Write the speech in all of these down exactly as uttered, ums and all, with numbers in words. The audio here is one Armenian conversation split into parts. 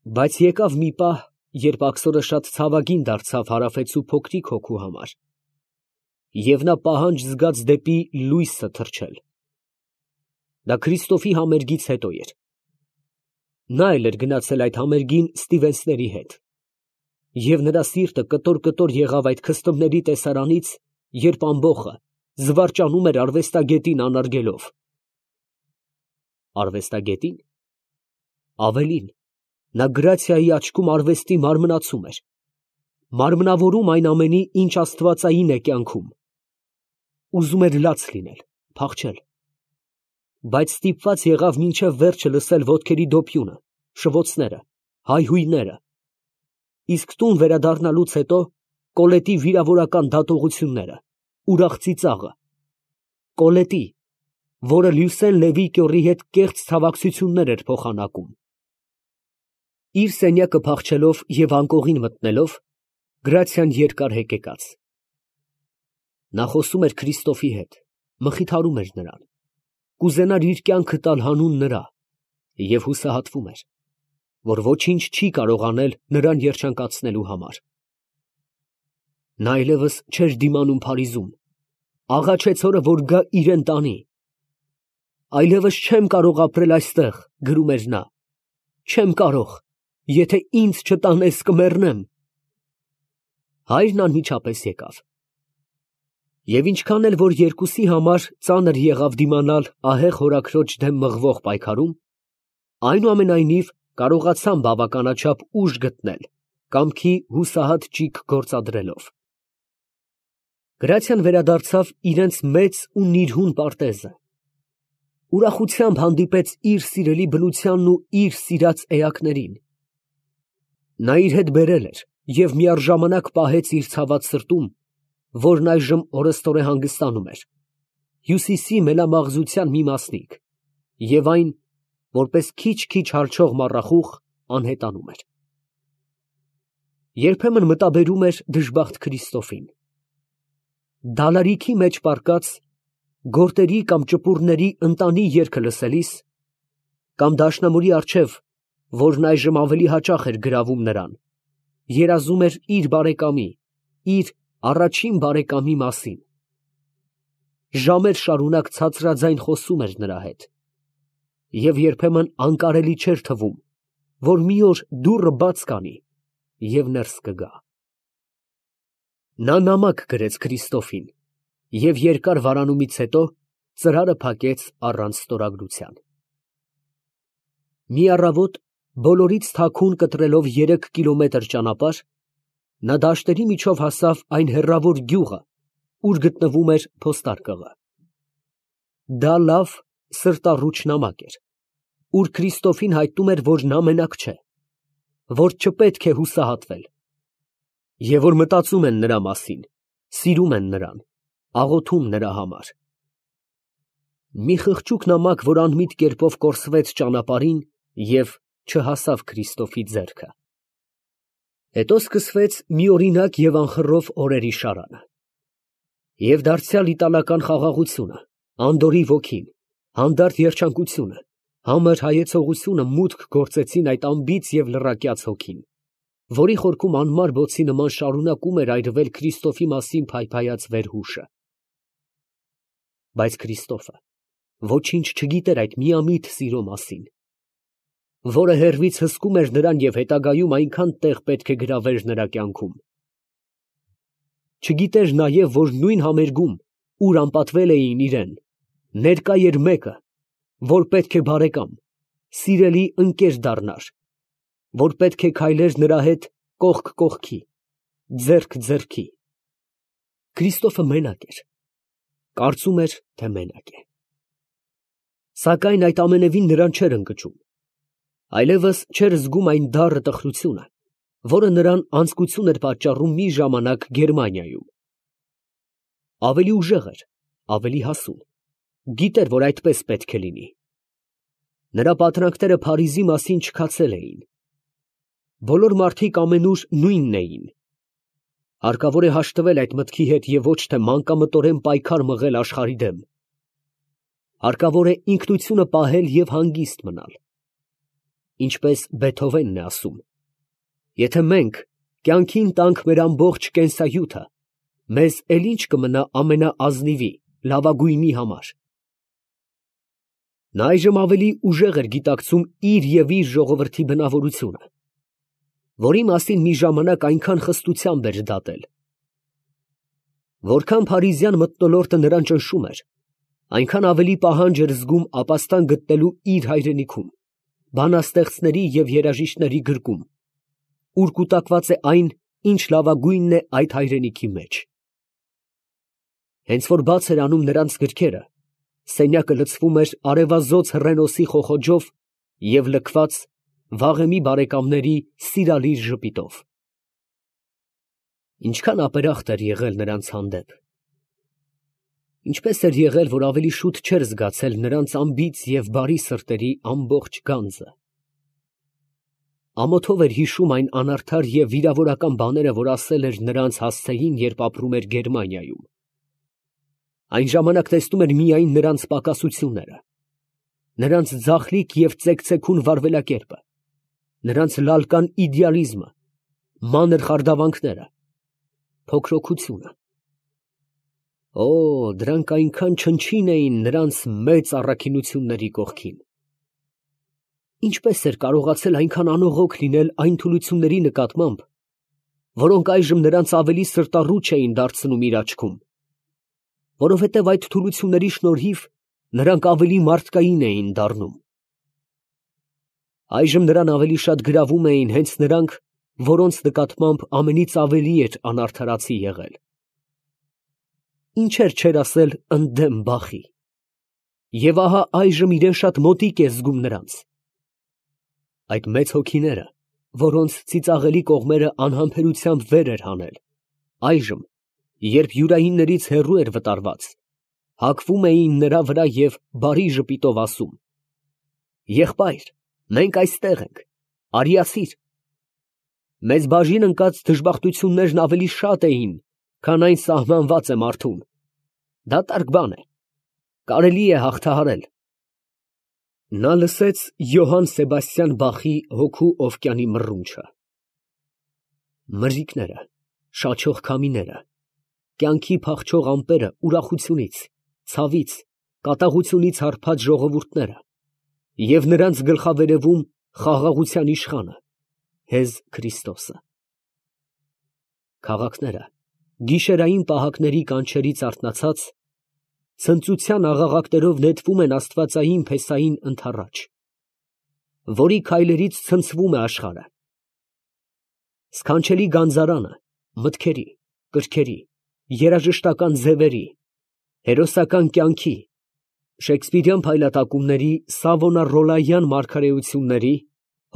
Բայց եկավ մի պահ, երբ աքսորը շատ ցավագին դարձավ Հարավեցու փոքրիկ հոգու համար, և նա պահանջ զգաց դեպի լույսը թռչել. դա Քրիստոֆի համերգից հետո էր. նա էլ էր գնացել այդ համերգին Ստիվենսների հետ, և նրա սիրտը կտոր֊կտոր եղավ այդ քստմների տեսարանից, երբ ամբոխը զվարճանում էր արվեստագետին անարգելով։ Արվեստագետի՞ն։ Ավելին, նա գրացիայի աչքում արվեստի մարմնացում էր, մարմնավորում այն ամենի, ինչ աստվածային է կյանքում։ Ուզում էր լաց լինել, փախչել, բայց ստիպված եղավ մինչև վերջը լսել ոտքերի դոփյունը, շվոցները, հայհույները, իսկ տուն վերադառնալուց հետո Կոլետի վիրավորական դատողությունները, ուրախ ծիծաղը, Կոլետի, որը Լյուսեն Լևի հետ կեղծ ցավակցություններ էր փոխանակում։ Իր սենյակը փախչելով և անկողին մտնելով, Գրացիան երկար հեկեկաց։ Նա խոսում էր Քրիստոֆի հետ, մխիթարում էր նրան, կուզենար իր կյանքը տալ հանուն նրա և հուսահատվում էր, որ ոչինչ չի կարող անել նրան երջանկացնելու համար։ Նա այլևս չէր դիմանում Փարիզում, աղաչեց հորը, որ գա իրան տանի։ Այլևս չեմ կարող ապրել այստեղ, գրում էր նա, չեմ կարող, եթե ինձ չտանես կմեռնեմ։ Հայրն անմիջապես եկավ։ Եվ ինչքան էլ որ երկուսի համար ծանր եղավ դիմանալ ահեղ հորաքրոջ դեմ մղվող պայքարում, այնուամենայնիվ կարողացան բավականաչափ ուժ գտնել, կամքի հուսահատ ճիգ գործադրելով։ Գրացիան վերադարձավ իրենց մեծ ու նիրհուն պարտեզը, ուրախությամբ հանդիպեց իր սիրելի բնությանն ու իր սիրած էակներին։ Նա իր հետ բերել էր և միառժամանակ պահեց իր ցաված սրտում, որն այժմ օրըստօրե հանգստանում էր, հյուսիսի մենամաղձության մի մասնիկ, և այն, որպես քիչ֊քիչ հալչող մառախուղ, անհետանում էր։ Երբեմն մտաբերում էր դժբախտ Քրիստոֆին։ Դալարիքի մեջ պառկած, գորտերի կամ ճպուռների ընտանի երգը լսելիս, կամ դաշնամուրի առջև, որն այժմ ավելի հաճախ էր գրավում նրան, երազում էր իր բարեկամի, իր առաջին բարեկամի մասին։ Ժամեր շարունակ ցածրաձայն խոսում էր նրա հետ, և երբեմն անկարելի չէր թվում, որ մի օր դուռը բաց կանի և ներս կգա։ Նա նամակ գրեց Քրիստոֆին և երկար վարանումից հետո ծրարը փակեց առանց ստորագրության։ Մի առավոտ, բոլորից թաքուն կտրելով երեք կիլոմետր ճանապարհ, նա դաշտերի միջով հասավ այն հեռավոր գյուղը, ուր գտնվում էր փոստարկղը։ Դա լավ, սրտառուչ նամակ էր, ուր Քրիստոֆին հայտնում էր, որ նա մենակ չէ, որ չպետք է հուսահատվել, և որ մտածում են նրա մասին, սիրում են նրան, աղոթում նրա համար։ Մի խղճուկ նամակ, որ անմիտ կերպով կորսվեց ճանապարհին և չհասավ Քրիստոֆի ձեռքը։ Հետո սկսվեց միօրինակ և անխռով օրերի շարանը։ Եվ դարձյալ իտալական խաղաղությունը, անդորրի ոգին, հանդարտ երջանկությունը, համր հայեցողությունը մուտք գործեցին այդ անբիծ և լռակյաց հոգին, որի խորքում անմար բոցի նման շարունակում էր այրվել Քրիստոֆի մասին փայփայած վերհուշը։ Բայց Քրիստոֆը ոչինչ չգիտեր այդ միամիտ սիրո մասին, որը հեռվից հսկում էր նրան և հետագայում այնքան տեղ պետք է գրավեր նրա կյանքում։ Չգիտեր նաև, որ նույն համերգում, ուր անպատվել էին իրան, ներկա էր մեկը, որ պետք է բարեկամ, սիրելի ընկեր դառնար, որ պետք է քայլեր նրա հետ կողք կողքի, ձեռք ձեռքի։ Քրիստոֆը մենակ էր, կարծում էր, թե մենակ է։ Սակայն այդ ամենևին նրան չէր ընկճում, այլևս չէր զգում այն դառը տխրությունը, որը նրան անձկություն էր պատճառում մի ժամանակ Գերմանիայում։ Ավելի ուժեղ էր, ավելի հասուն, գիտեր, որ այդպես պետք է լինի։ Նրա պատրանքները Փարիզի մասին չքացել էին։ Բոլոր մարդիկ ամենուր նույնն էին։ Հարկավոր է հաշտվել այդ մտքի հետ և ոչ թե մանկամտորեն պայքար մղել աշխարհի դեմ։ Հարկավոր է ինքնությունը պահել և հանգիստ մնալ։ ինչպես Բեթհովենն է ասում. եթե մենք կյանքին տանք մեր ամբողջ կենսայութը, մեզ էլ ինչ կմնա ամենաազնիվի, լավագույնի համար։ Նա այժմ ավելի ուժեղ էր գիտակցում իր և իր ժողովրդի բնավորությունը, որի մասին մի ժամանակ այնքան խստությամբ էր դատել։ Որքան փարիզյան մթնոլորտը նրան ճնշում էր, այնքան ավելի պահանջ էր զգում ապաստան գտնելու իր հայրենիքում, բանաստեղծների և երաժիշտների գրկում, ուր կուտակված է այն, ինչ լավագույնն է այդ հայրենիքի մեջ։ Հենց որ բաց էր անում նրանց գրքերը, սենյակը լցվում էր արևազոծ հռենոսի խոխոջով և լքված վաղեմի բարեկամների սիրալիր ժպիտով։ Ինչքան ապերախտ էր եղել նրանց հանդեպ։ Ինչպես էր եղել, որ ավելի շուտ չէր զգացել նրանց անբիծ և բարի սրտերի ամբողջ գանձը։ Ամոթով էր հիշում այն անարդար և վիրավորական բաները, որ ասել էր նրանց հասցեին, երբ ապրում էր Գերմանիայում։ Այն ժամանակ տեսնում էր միայն նրանց պակասությունները, նրանց ձախլիկ և ծեքծեքուն վարվելակերպը, նրանց լալկան իդեալիզմը, մանր խարդավանքները, փոքրոքությունը։ Օ, դրանք այնքան չնչին էին նրանց մեծ առաքինությունների կողքին։ Ինչպես էր կարողացել այնքան անողոք լինել այն թուլությունների նկատմամբ, որոնք այժմ նրանց ավելի սրտառուչ էին դարձնում իր աչքում, որովհետև այդ թուլությունների շնորհիվ նրանք ավելի մարդկային էին դառնում։ Այժմ նրան ավելի շատ գրավում էին հենց նրանք, որոնց նկատմամբ ամենից ավելի էր անարդարացի եղել։ Ինչեր չէր ասել ընդդեմ բախի։ Եվ ահա այժմ իրեն շատ մոտիկ է զգում նրանց։ Այդ մեծ հոգիները, որոնց ծիծաղելի կողմերը անհամբերությամբ վեր էր հանել, այժմ, երբ յուրայիններից հեռու էր վտարված, հագվում էին նրա վրա և բարի ժպիտով ասում. «Եղբայր, մենք այստեղ ենք, արիացիր»։ Մեզ բաժին ընկած դժբախտություններն ավելի շատ էին, քան այն սահմանված է մարդուն։ Դատարկ բան է, կարելի է հաղթահարել։ Նա լսեց Յոհան Սեբաստիան Բախի «Հոգու օվկիանի» մռունչը։ Մրրիկները, շաչող քամիները, կյանքի փախչող ամպերը ուրախությունից, ցավից, կատաղությունից հարբած ժողովուրդները և նրանց գլխավերևում խաղաղության իշխանը, հեզ Քրիստոսը։ Քաղաքները, գիշերային պահակների կանչերից արթնացած, ցնծության աղաղակներով նետվում են աստվածային փեսային ընդառաջ, որի քայլերից ցնցվում է աշխարհը։ Սքանչելի գանձարանը, մտքերի, կրքերի, երաժշտական ձևերի, հերոսական կյանքի, շեքսպիրյան փայլատակումների, սավոնառոլայան մարգարեությունների,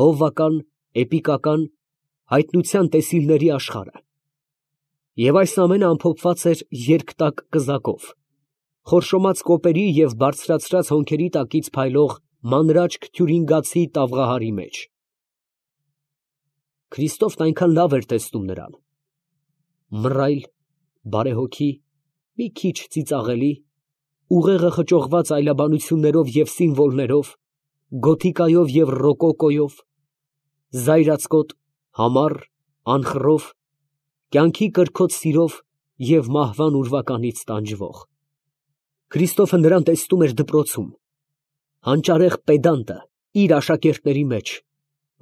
հովվական, էպիկական, հայտնության տեսիլների աշխարհը։ Եվ այս ամենը ամփոփված էր երկտակ կզակով, խորշոմած կոպերի և բարձրացրած հոնքերի տակից փայլող մանրաճք թյուրինգացի տավղահարի մեջ։ Քրիստոֆն այնքան լավ էր տեսնում նրան. մռայլ, բարեհոգի, մի քիչ ծիծաղելի, ուղեղը խճողված այլաբանություններով և սիմվոլներով, գոթիկայով և ռոկոկոյով, զայրացկոտ, համառ, անխռով, կյանքի կրքոտ սիրով և մահվան ուրվականից տանջվող։ Քրիստոֆը նրան տեսնում էր դպրոցում, հանճարեղ պեդանտը իր աշակերտների մեջ,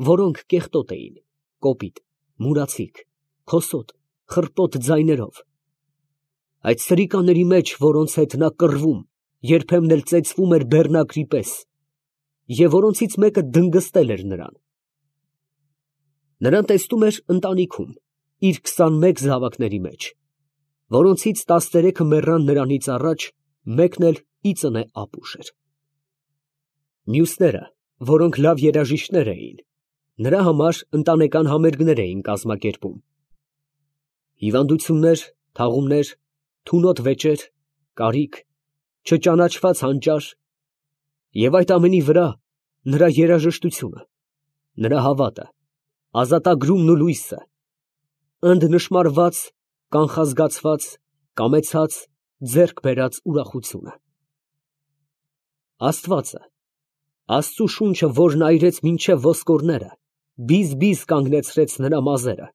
որոնք կեղտոտ էին, կոպիտ, մուրացիկ, քոսոտ, խռպոտ ձայներով, այդ սրիկաների մեջ, որոնց հետ նա կռվում, երբեմն էլ ծեծվում էր բեռնակրի պես, և որոնցից մեկը դնգստել էր նրան։ Նրան տեսնում էր ընտանիքում, իր քսանմեկ զավակների մեջ, որոնցից տասներեքը մեռան նրանից առաջ, մեկն էլ ի ծնե ապուշ էր։ Մյուսները, որոնք լավ երաժիշտներ էին, նրա համար ընտանեկան համերգներ էին կազմակերպում։ Հիվանդություններ, թաղումներ, թունոտ վեճեր, կարիք, չճանաչված հանճար, և այդ ամենի վրա նրա երաժշտությունը, նրա հավատը, ազատագրումն ու լույսը, ընդնշմարված, կանխազգացված, կամեցած, ձեռք բերած ուրախությունը։ Աստվածը, Աստծու շունչը, որն այրեց մինչև ոսկորները, բիզ-բիզ կանգնեցրեց նրա մազերը,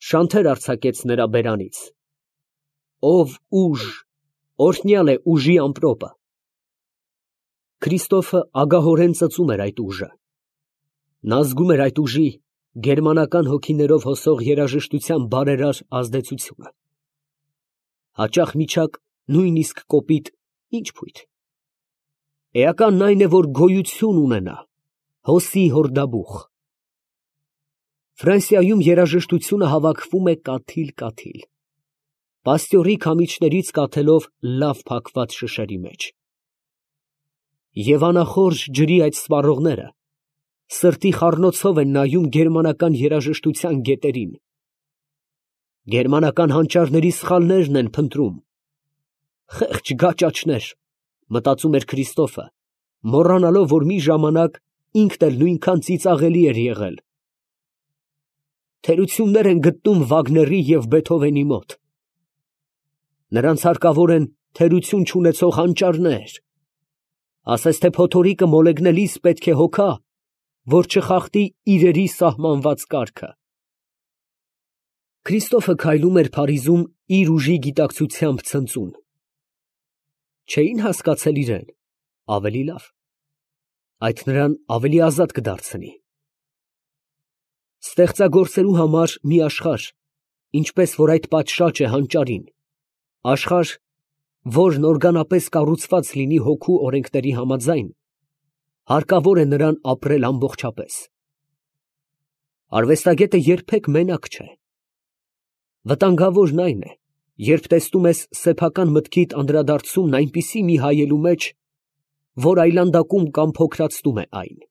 շանթեր արձակեց նրա բերանից։ Ով ուժ, օրհնյալ է ուժի ամպրոպը։ Քրիստոֆը ագահորեն ծծում էր այդ ուժը։ Նա զգում էր այդ ուժի գերմանական հոգիներով հոսող երաժշտության բարերար ազդեցությունը։ Հաճախ միջակ, նույնիսկ կոպիտ, ինչ փույթ։ Էականն այն է, որ գոյություն ունենա, հոսի հորդաբուխ։ Ֆրանսիայում երաժշտությունը հավաքվում է կաթիլ֊կաթիլ, պաստյորի քամիչներից կաթելով լավ փակված շշերի մեջ։ Եվ անախորժ ջրի այդ սպառողները սրտի խառնոցով են նայում գերմանական երաժշտության գետերին։ Գերմանական հանճարների սխալներն են փնտրում։ Խեղճ գաճաճներ, մտածում էր Քրիստոֆը, մոռանալով, որ մի ժամանակ ինքն էլ նույնքան ծիծաղելի էր եղել։ Թերություններ են գտնում Վագների և Բեթհովենի մոտ։ Նրանց հարկավոր են թերություն չունեցող հանճարներ։ Ասես թե փոթորիկը մոլեգնելիս պետք է հոգա, որ չխախտի իրերի սահմանված կարգը։ Քրիստոֆը քայլում էր Փարիզում իր ուժի գիտակցությամբ ցնծուն։ Չէին հասկացել իրեն, ավելի լավ, այդ նրան ավելի ազատ կդարձնի։ Ստեղծագործելու համար մի աշխարհ, ինչպես որ այդ պատշաճ է հանճարին, աշխարհ, որն օրգանապես կառուցված լինի հոգու օրենքների համաձայն, հարկավոր է նրան ապրել ամբողջապես։ Արվեստագետը երբեք մենակ չէ։ Վտանգավորն այն է, երբ տեսնում ես սեփական մտքիդ անդրադարձումն այնպիսի մի հայելու մեջ, որ այլանդակում կամ փոքրացնում է այն։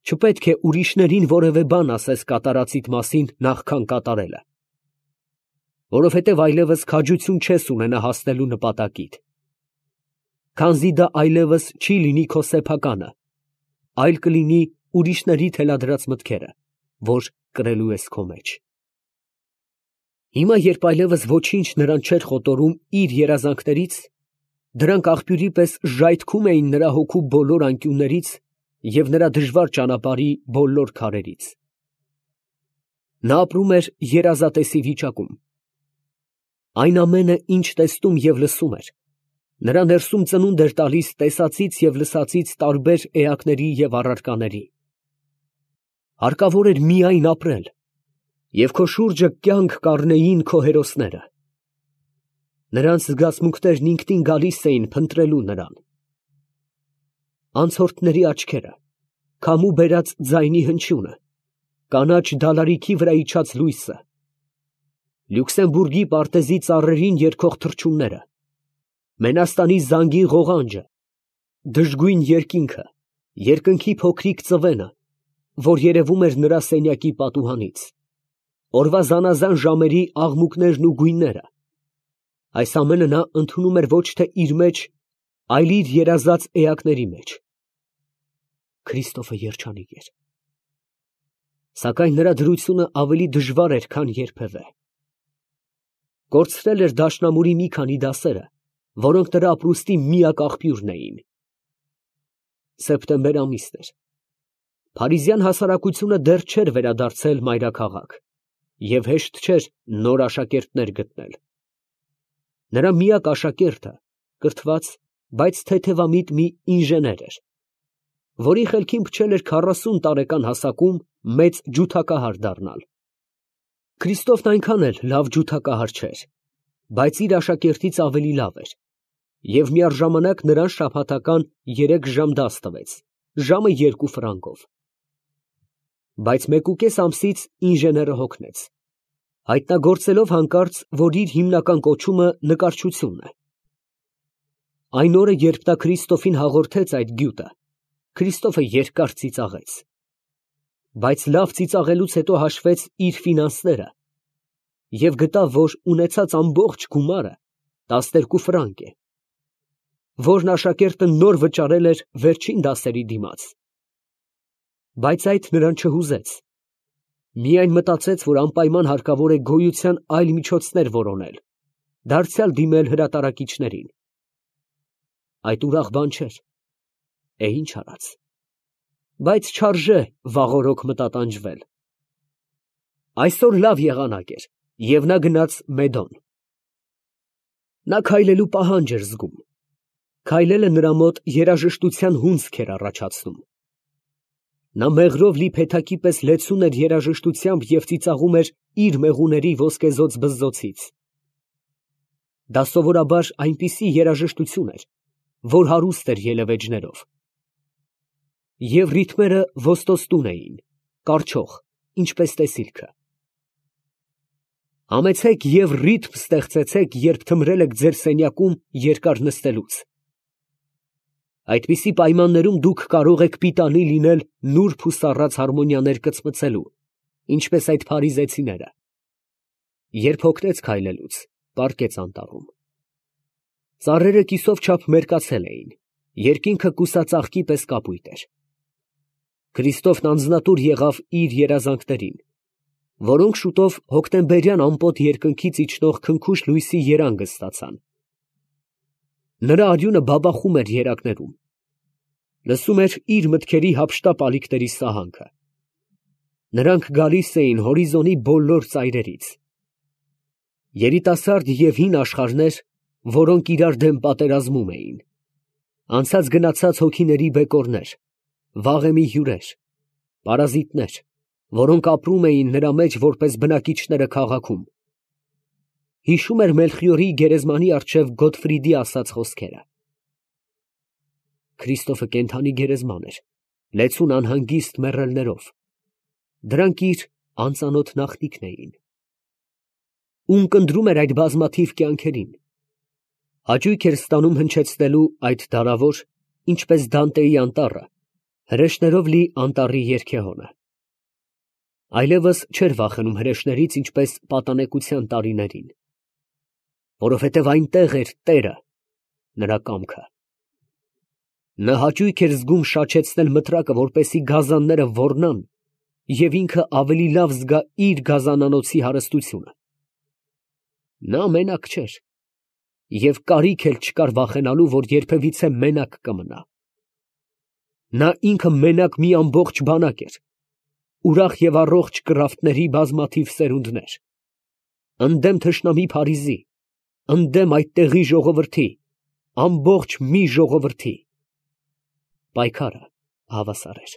Չպետք է ուրիշներին որևէ բան ասես կատարածիդ մասին նախքան կատարելը, որովհետև այլևս քաջություն չես ունենա հասնելու նպատակիդ, քանզի դա այլևս չի լինի քո սեփականը, այլ կլինի ուրիշների թելադրած մտքերը, որ կրելու ես քո մեջ։ Հիմա, երբ այլևս ոչինչ նրան չէր խոտորում իր երազանքներից, դրանք աղբյուրի պես ժայթքում էին նրա հոգու բոլոր անկյուններից և նրա դժվար ճանապարհի բոլոր քարերից։ Նա ապրում էր երազատեսի վիճակում։ Այն ամենը, ինչ տեսնում և լսում էր, նրա ներսում ծնունդ էր տալիս տեսածից և լսածից տարբեր էակների և առարկաների։ Հարկավոր էր միայն ապրել, և քո շուրջը կյանք կառնեին քո հերոսները։ Նրանց զգացմունքներն ինքնին գալիս էին փնտրելու նրան։ Անցորդների աչքերը, քամու բերած ձայնի հնչյունը, կանաչ դալարիքի վրա իջած լույսը, Լյուքսեմբուրգի պարտեզի ծառերին երգող թռչունները, Մենաստանի զանգի ղողանջը, դժգույն երկինքը, երկնքի փոքրիկ ծվենը, որ երևում էր նրա սենյակի պատուհանից, օրվա զանազան ժամերի աղմուկներն ու գույները, այս ամենը նա ընդունում էր ոչ թե իր մեջ, այլ իր երազած էակների մեջ։ Քրիստոֆը երջանիկ էր։ Սակայն նրա դրությունը ավելի դժվար էր, քան երբևէ։ Կորցրել էր դաշնամուրի մի քանի դասերը, որոնք նրա ապրուստի միակ աղբյուրն էին։ Սեպտեմբեր ամիսն էր։ Փարիզյան հասարակությունը դեռ չէր վերադարձել մայրաքաղաք, և հեշտ չէր նոր աշակերտներ գտնել։ Նրա միակ աշակերտը կրթված, բայց թեթևամիտ մի ինժեներ էր, որի խելքին փչել էր քառասուն տարեկան հասակում մեծ ջութակահար դառնալ։ Քրիստոֆն այնքան էլ լավ ջութակահար չէր, բայց իր աշակերտից ավելի լավ էր, և միառժամանակ նրան շաբաթական երեք ժամ դաս տվեց, ժամը երկու ֆրանկով։ Բայց մեկուկես ամսից ինժեները հոգնեց, հայտնագործելով հանկարծ, որ իր հիմնական կոչումը նկարչությունն է։ Այն օրը, երբ նա Քրիստոֆին հաղորդեց այդ գյուտը, Քրիստոֆը երկար ծիծաղեց, բայց լավ ծիծաղելուց հետո հաշվեց իր ֆինանսները և գտավ, որ ունեցած ամբողջ գումարը տասներկու ֆրանկ է, որն աշակերտը նոր վճարել էր վերջին դասերի դիմաց։ Բայց այդ նրան չհուզեց, միայն մտածեց, որ անպայման հարկավոր է գոյության այլ միջոցներ որոնել, դարձյալ դիմել հրատարակիչներին։ Այդ ուրախ բան չէր, Է ինչ արած, բայց չարժե վաղօրոք մտատանջվել։ Այսօր լավ եղանակ էր, և նա գնաց Մեդոն։ Նա քայլելու պահանջ էր զգում։ Քայլելը նրա մոտ երաժշտության հունձք էր առաջացնում։ Նա մեղրով լի փեթակի պես լեցուն էր երաժշտությամբ և ծիծաղում էր իր մեղուների ոսկեզօծ բզզոցից։ Դա սովորաբար այնպիսի երաժշտություն էր, որ հարուստ էր ելևէջներով։ Եվ ռիթմերը ոստոստուն էին, կառչող, ինչպես տեսիլքը։ Համեցեք և ռիթմ ստեղծեցեք, երբ թմրել եք ձեր սենյակում երկար նստելուց։ Այդպիսի պայմաններում դուք կարող եք պիտանի լինել նուրբ ու սառած հարմոնիաներ կծմծելու, ինչպես այդ փարիզեցիները։ Երբ հոգնեց քայլելուց, պառկեց անտառում։ Ծառերը կիսով չափ մերկացել էին, երկինքը կուսածաղկի պես կապույտ էր։ Քրիստոֆն անձնատուր եղավ իր երազանքներին, որոնք շուտով հոկտեմբերյան ամպոտ երկնքից իջնող քնքուշ լույսի երանգը ստացան։ Նրա արյունը բաբախում էր երակներում, լսում էր իր մտքերի հափշտապ ալիքների սահանքը։ Նրանք գալիս էին հորիզոնի բոլոր ծայրերից։ Երիտասարդ և հին աշխարհներ, որոնք իրար դեմ պատերազմում էին, անցած գնացած հոգիների բեկորներ, վաղեմի հյուրեր, պարազիտներ, որոնք ապրում էին նրա մեջ որպես բնակիչները քաղաքում։ Հիշում էր Մելխիորի գերեզմանի առջև Գոտֆրիդի ասած խոսքերը։ Քրիստոֆը կենդանի գերեզման էր, լեցուն անհանգիստ մեռելներով։ Դրանք իր անծանոթ նախնիքն էին։ Ում կնդրում էր այդ բազմաթիվ կյանքերին։ Հաճույք էր ստանում հնչեցնելու այդ դարավոր, ինչպես Դանտեի անտառը, հրեշներով լի անտառի երգեհոնը։ Այլևս չէր վախենում հրեշներից, ինչպես պատանեկության տարիներին, որովհետև այնտեղ էր Տերը, նրա կամքը։ Նա հաճույք էր զգում շաչեցնել մտրակը, որպեսզի գազանները ոռնան, և ինքը ավելի լավ զգա իր գազանանոցի հարստությունը։ Նա մենակ չէր, և կարիք էլ չկար վախենալու, որ երբևիցե մենակ կմնա։ Նա ինքը մենակ մի ամբողջ բանակ էր, ուրախ և առողջ կռավտների բազմաթիվ սերունդներ, ընդդեմ թշնամի Փարիզի, ընդդեմ այդ տեղի ժողովրդի, ամբողջ մի ժողովրդի։ Պայքարը հավասար էր։